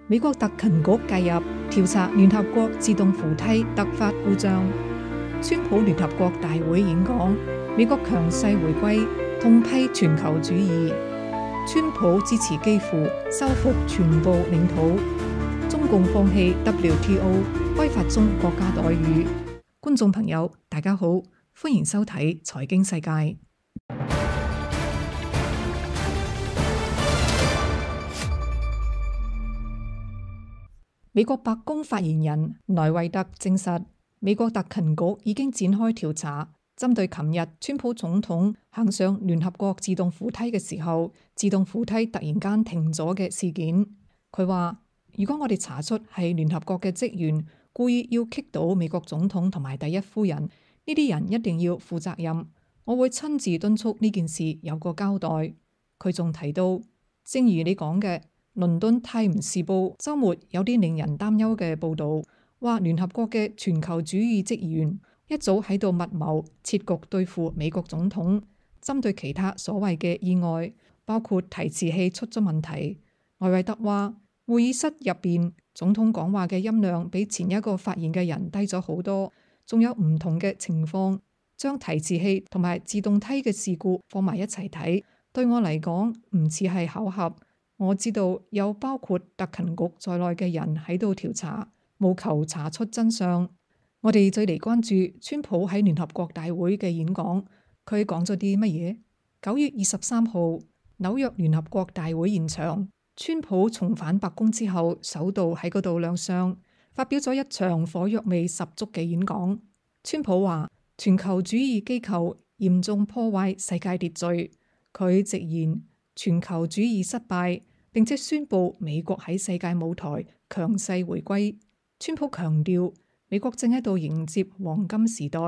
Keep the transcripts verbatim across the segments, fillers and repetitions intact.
美國特勤局介入調查聯合國自動扶梯突發故障。川普聯合國大會演講，美國強勢回歸，痛批全球主義。川普支持基輔收復全部領土。中共放棄 W T O 開發中國家待遇。觀眾朋友，大家好，歡迎收睇財經世界。美國白宮發言人萊維特證實，美國特勤局已經展開調查，針對琴日川普總統行上聯合國自動扶梯嘅時候，自動扶梯突然間停咗嘅事件。佢話：如果我哋查出係聯合國嘅職員故意要棘到美國總統同埋第一夫人，呢啲人一定要負責任。我會親自敦促呢件事有個交代。佢仲提到，正如你講嘅，倫敦泰晤士報週末有啲令人擔憂嘅報導，話聯合國嘅全球主義職員一早喺度密謀設局對付美國總統。針對其他所謂嘅意外，包括提詞器出咗問題，萊維特話會議室入邊總統講話嘅音量比前一個發言嘅人低咗好多，仲有唔同嘅情況，將提詞器同埋自動梯嘅事故放埋一齊睇，對我嚟講唔似係巧合。我知道有包括特勤局在內嘅人喺度調查，務求查出真相。我哋再嚟關注川普喺聯合國大會嘅演講，佢講咗啲乜嘢？九月二十三號，紐約聯合國大會現場，川普重返白宮之後，首度喺嗰度亮相，發表咗一場火藥味十足嘅演講。川普話：全球主義機構嚴重破壞世界秩序。佢直言全球主義失敗，並且宣布美國喺世界舞台強勢回歸。川普強調，美國正喺度迎接黃金時代，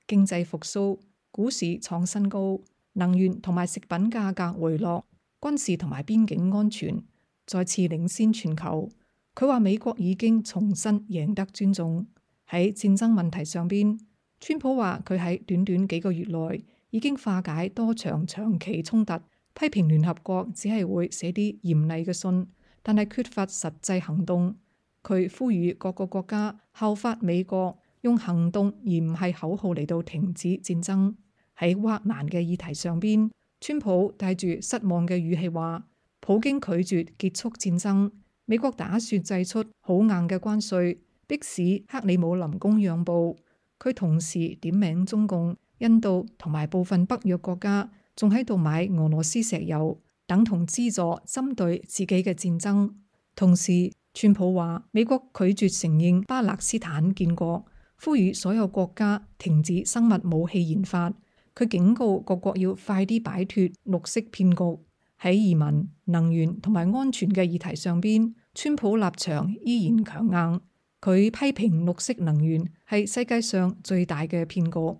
經濟復甦，股市創新高，能源同埋食品價格回落，軍事同埋邊境安全再次領先全球。佢話美國已經重新贏得尊重。喺戰爭問題上邊，川普話佢喺短短幾個月內已經化解多場長期衝突，批評聯合國只係會寫啲嚴厲嘅信，但係缺乏實際行動。佢呼籲各個國家效法美國，用行動而唔係口號嚟到停止戰爭。喺烏克蘭嘅議題上邊，川普帶住失望嘅語氣話，普京拒絕結束戰爭，美國打算祭出好硬嘅關稅，迫使克里姆林宮讓步。佢同時點名中共、印度同埋部分北約國家仲喺度買俄羅斯石油，等同資助針對自己嘅戰爭。同時，川普話美國拒絕承認巴勒斯坦建國，呼籲所有國家停止生物武器研發。佢警告各國要快啲擺脫綠色騙局。喺移民、能源同埋安全嘅議題上邊，川普立場依然強硬。佢批評綠色能源係世界上最大嘅騙局，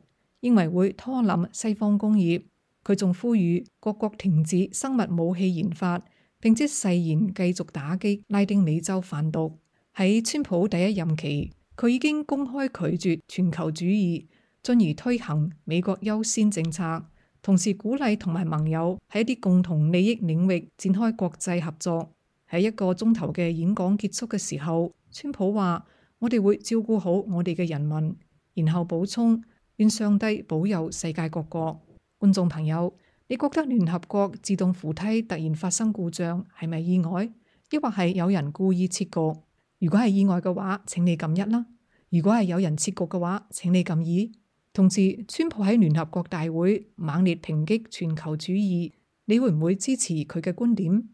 認為會拖冧西方工業。佢仲呼籲各國停止生物武器研發，並且誓言繼續打擊拉丁美洲販毒。喺川普第一任期，佢已經公開拒絕全球主義，進而推行美國優先政策，同時鼓勵同埋盟友喺一啲共同利益領域展開國際合作。喺一個鐘頭嘅演講結束嘅時候，川普話：我哋會照顧好我哋嘅人民，然後補充：願上帝保佑世界各國。觀眾朋友，你覺得聯合國自動扶梯突然發生故障係咪意外，抑或係有人故意設局？如果係意外嘅話，請你撳一啦；如果係有人設局嘅話，請你撳二。同時，川普喺聯合國大會猛烈抨擊全球主義，你會唔會支持佢嘅觀點？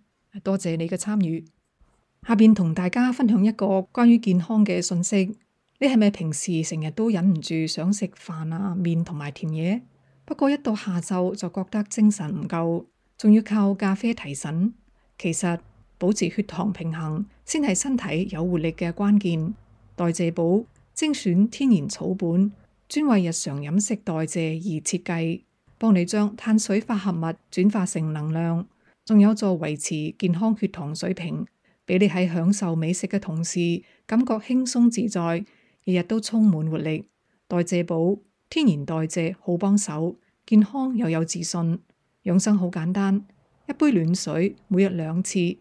多謝你嘅參與。下邊同大家分享一個關於健康嘅信息。你係咪平時成日都忍唔住想食飯啊、麵同埋甜嘢？不過一到下晝就覺得精神唔夠，仲要靠咖啡提神。其實保持血糖平衡先係身體有活力嘅關鍵。代謝寶精選天然草本，專為日常飲食代謝而設計，幫你將碳水化合物轉化成能量，仲有助維持健康血糖水平，俾你喺享受美食嘅同時感覺輕鬆自在，日日都充滿活力。代謝寶天然代謝好幫手，健康又有自信。養生好簡單，一杯暖水每日兩次，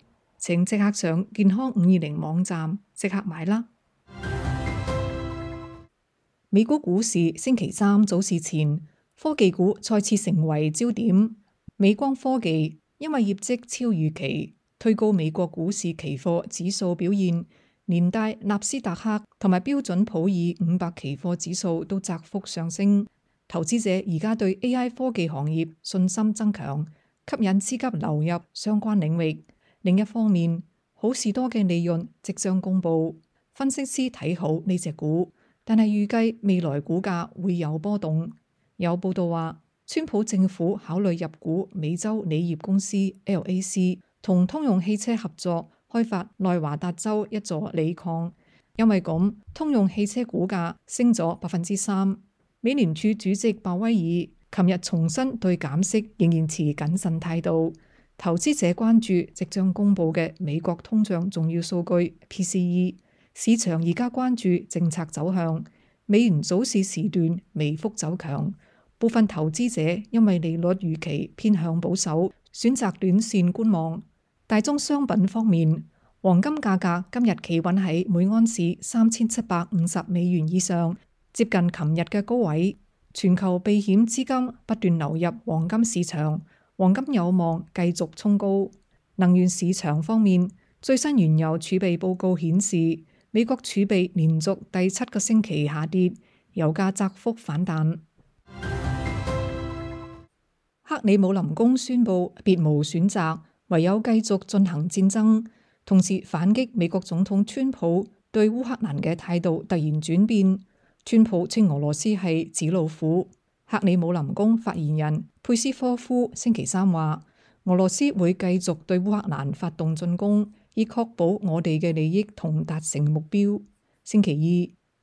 請即刻上健康五二零網站即刻買啦！美股股市星期三早市前，科技股再次成為焦點。美光科技因為業績超預期，推高美國股市期貨指數表現，連帶納斯達克同埋標準普爾五百期貨指數都窄幅上升。投資者而家對 A I 科技行業信心增強，吸引資金流入相關領域。另一方面，好事多嘅利潤即將公布，分析師睇好呢隻股。但係預計未來股價會有波動。有報道話，川普政府考慮入股美洲鋰業公司 L A C， 同通用汽車合作開發內華達州一座鋰礦。因為咁，通用汽車股價升咗百分之三。美聯儲主席鮑威爾琴日重申對減息仍然持謹慎態度。投資者關注即將公布嘅美國通脹重要數據 P C E。市場而家關注政策走向，美元早市時段微幅走強，部分投資者因為利率預期偏向保守，選擇短線觀望。大宗商品方面，黃金價格今日企穩喺每安士三千七百五十美元以上，接近琴日嘅高位。全球避險資金不斷流入黃金市場，黃金有望繼續衝高。能源市場方面，最新原油儲備報告顯示，美國儲備連續第七個星期下跌，油價窄幅反彈。克里姆林宮宣布別無選擇，唯有繼續進行戰爭，同時反擊美國總統川普對烏克蘭嘅態度突然轉變。川普稱俄羅斯係紙老虎。克里姆林宮發言人佩斯科夫星期三話，俄羅斯會繼續對烏克蘭發動進攻，以確保我哋嘅利益同達成目標。星期二，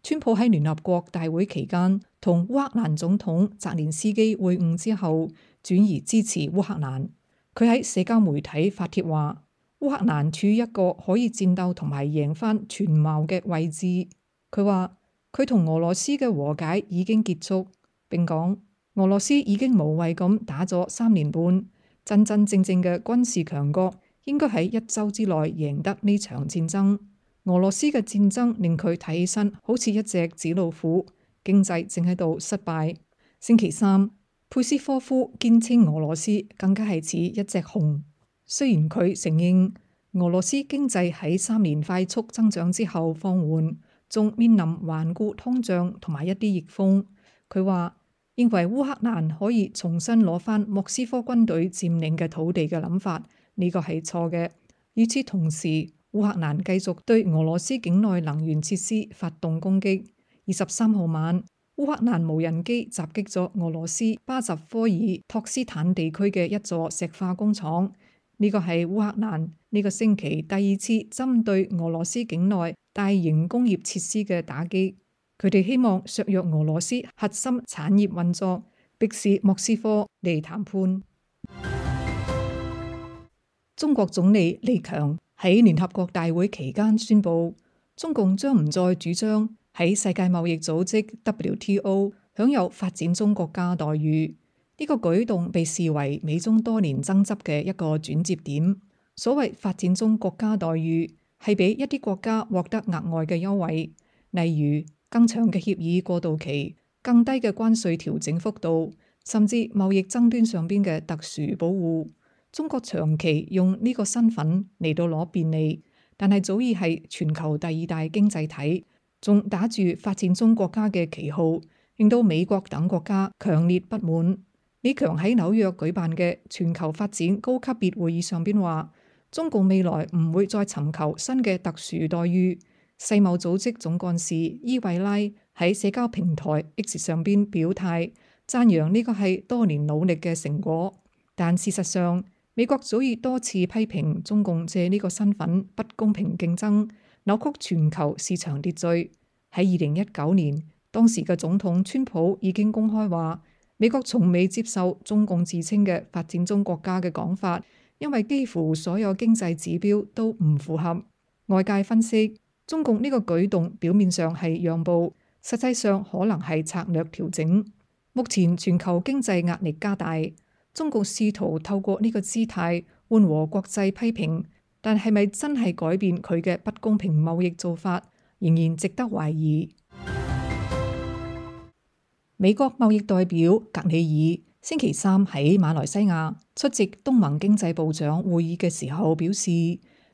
川普喺聯合國大會期間同烏克蘭總統澤連斯基會晤之後，轉移支持烏克蘭。佢喺社交媒體發帖話，烏克蘭處於一個可以戰鬥同埋贏返全貌嘅位置。佢話佢同俄羅斯嘅和解已經結束，並講俄羅斯已經無謂咁打咗三年半，真真正正嘅軍事強國應該喺一周之內贏得呢場戰爭。俄羅斯嘅戰爭令佢睇起身好似一隻紙老虎，經濟正喺度失敗。星期三，佩斯科夫堅稱俄羅斯更加係似一隻熊。雖然佢承認俄羅斯經濟喺三年快速增長之後放緩，仲面臨頑固通脹同埋一啲逆風。佢話認為烏克蘭可以重新攞返莫斯科軍隊佔領嘅土地嘅諗法，呢個係錯嘅。與此同時，烏克蘭繼續對俄羅斯境內能源設施發動攻擊。二十三號晚，烏克蘭無人機襲擊咗俄羅斯巴什科爾托斯坦地區嘅一座石化工廠。呢個係烏克蘭呢個星期第二次針對俄羅斯境內大型工業設施嘅打擊。佢哋希望削弱俄羅斯核心產業運作，迫使莫斯科嚟談判。中國總理李強喺聯合國大會期間宣布，中共將唔再主張喺世界貿易組織 W T O 享有發展中國家待遇。呢個舉動被視為美中多年爭執嘅一個轉折點。所謂發展中國家待遇，係俾一啲國家獲得額外嘅優惠，例如更長嘅協議過渡期、更低嘅關稅調整幅度，甚至貿易爭端上邊嘅特殊保護。中國長期用呢個身份嚟到攞便利，但係早已係全球第二大經濟體，仲打住發展中國家嘅旗號，令到美國等國家強烈不滿。李強喺紐約舉辦嘅全球發展高級別會議上邊話，中共未來唔會再尋求新嘅特殊待遇。世貿組織總幹事伊維拉喺社交平台 X 上邊表態，讚揚呢個係多年努力嘅成果。但事實上，美國早已多次批評中共借呢個身份不公平競爭，扭曲全球市場秩序。喺二零一九年，當時嘅總統川普已經公開話，美國從未接受中共自稱嘅發展中國家嘅講法，因為幾乎所有經濟指標都唔符合。外界分析，中共呢個舉動表面上係讓步，實際上可能係策略調整。目前全球經濟壓力加大，中共試圖透過呢個姿態緩和國際批評，但係咪真係改變佢嘅不公平貿易做法，仍然值得懷疑。美國貿易代表格里爾星期三喺馬來西亞出席東盟經濟部長會議嘅時候表示，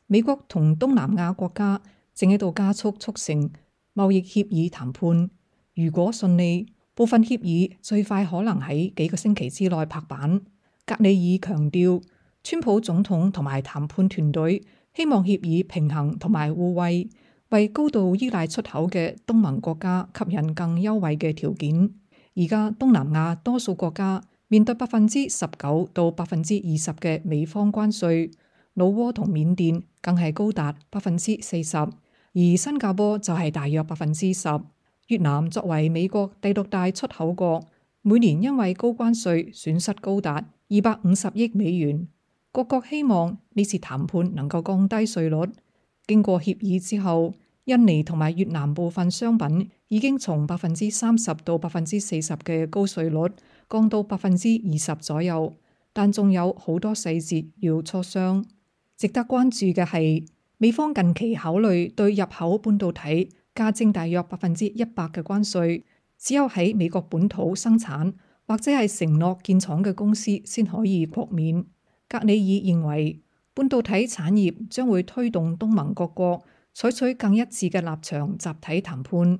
美國同東南亞國家正喺度加速促成貿易協議談判，如果順利，部分協議最快可能喺幾個星期之內拍板。格里爾強調，川普總統同埋談判團隊希望協議平衡同埋互惠，為高度依賴出口嘅東盟國家吸引更優惠嘅條件。而家東南亞多數國家面對百分之十九到百分之二十嘅美方關稅，老撾同緬甸更係高達百分之四十，而新加坡就係大約百分之十。越南作為美國第六大出口國，每年因為高關稅損失高達二百五十億美元。各國希望呢次談判能夠降低稅率。經過協議之後，印尼同埋越南部分商品已經從百分之三十到百分之四十嘅高稅率降到百分之二十左右，但仲有好多細節要磋商。值得關注嘅係，美方近期考慮對入口半導體加徵大約百分之一百嘅關稅，只有喺美國本土生產或者係承諾建廠嘅公司先可以豁免。格里爾認為，半導體產業將會推動東盟各國採取更一致嘅立場，集體談判。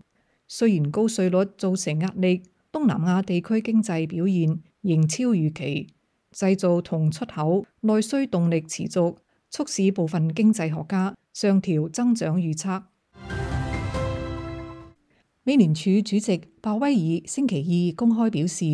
雖然高稅率造成壓力，東南亞地區經濟表現仍超預期，製造同出口內需動力持續，促使部分經濟學家上調增長預測。美聯儲主席鮑威爾星期二公開表示，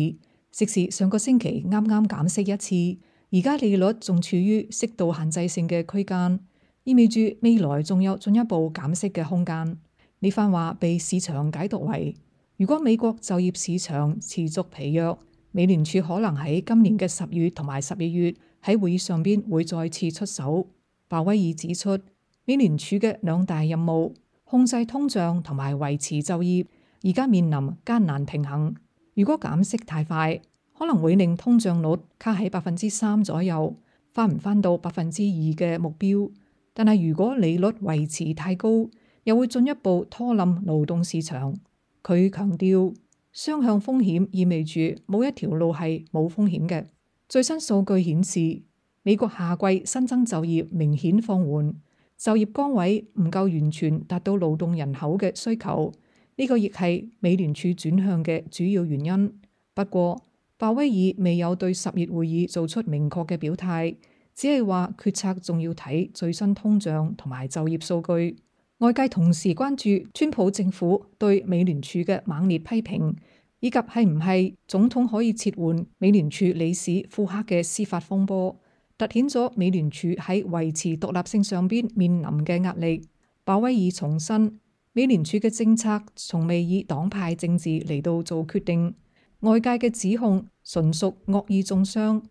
即使上個星期啱啱減息一次，而家利率仲處於適度限制性嘅區間，意味住未來仲有進一步減息嘅空間。呢番話被市場解讀為，如果美國就業市場持續疲弱，美聯儲可能喺今年嘅十月同埋十二月喺會議上邊會再次出手。鮑威爾指出，美聯儲嘅兩大任務，控制通脹同埋維持就業，而家面臨艱難平衡。如果減息太快，可能會令通脹率卡喺百分之三左右，翻唔翻到百分之二嘅目標。但係如果利率維持太高，又會進一步拖冧勞動市場。佢強調，雙向風險意味住冇一條路係冇風險嘅。最新數據顯示，美國夏季新增就業明顯放緩，就業崗位唔夠完全達到勞動人口嘅需求，呢個亦係美聯儲轉向嘅主要原因。不過，鮑威爾未有對十月會議做出明確嘅表態，只係話決策仲要睇最新通脹同埋就業數據。外界同時關注川普政府對美聯儲嘅猛烈批評，以及係唔係總統可以撤換美聯儲理事庫克嘅司法風波，凸顯咗美聯儲喺維持獨立性上邊面臨嘅壓力。鮑威爾重申，美聯儲嘅政策從未以黨派政治嚟到做決定。外界嘅指控純屬惡意中傷。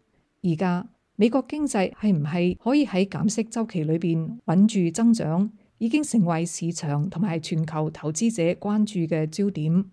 而家美國經濟係唔係可以喺減息週期裏邊穩住增長，已經成為市場同埋全球投資者關注嘅焦點。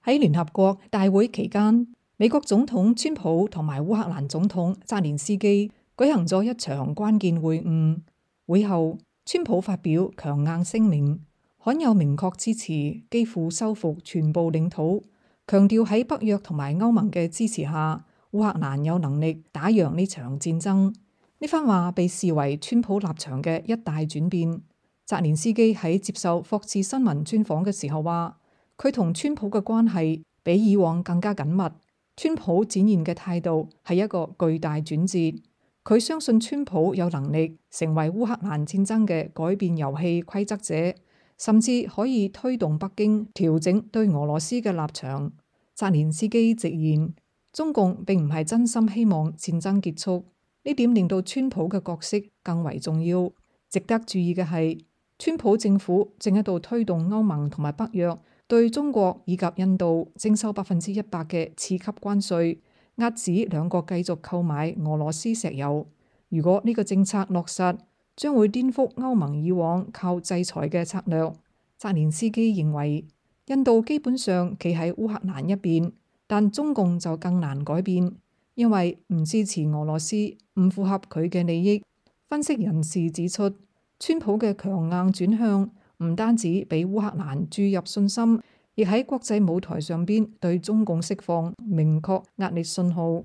喺聯合國大會期間，美國總統川普同埋烏克蘭總統澤連斯基舉行咗一場關鍵會晤。會後，川普發表強硬聲明，罕有明確支持基輔收復全部領土，強調喺北約同埋歐盟嘅支持下，烏克蘭有能力打贏呢場戰爭。呢番話被視為川普立場嘅一大轉變。澤連斯基喺接受霍士新聞專訪嘅時候話，佢同川普嘅關係比以往更加緊密。川普展現嘅態度係一個巨大轉折。佢相信川普有能力成為烏克蘭戰爭嘅改變遊戲規則者，甚至可以推動北京調整對俄羅斯嘅立場。澤連斯基直言，中共並唔係真心希望戰爭結束，呢點令到川普嘅角色更為重要。值得注意嘅係，川普政府正喺度推動歐盟同埋北約對中國以及印度徵收百分之一百嘅次級關稅，遏止兩國繼續購買俄羅斯石油。如果呢個政策落實，將會顛覆歐盟以往靠制裁嘅策略。澤連斯基認為，印度基本上企喺烏克蘭一邊，但中共就更難改變。因為唔支持俄羅斯，唔符合佢嘅利益。分析人士指出，川普嘅強硬轉向唔單止俾烏克蘭注入信心，亦喺國際舞台上邊對中共釋放明確壓力信號。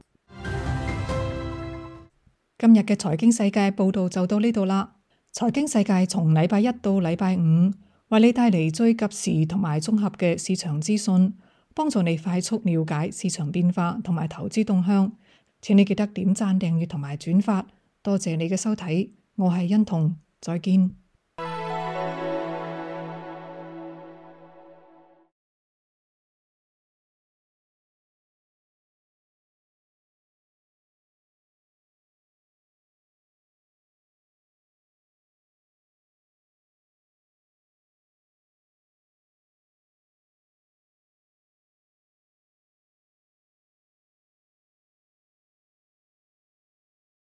今日嘅財經世界報道就到呢度啦。財經世界從禮拜一到禮拜五，為你帶嚟最及時同埋綜合嘅市場資訊，幫助你快速了解市場變化同埋投資動向。請你記得點讚、訂閱同埋轉發。多謝你嘅收睇，我係欣彤，再見。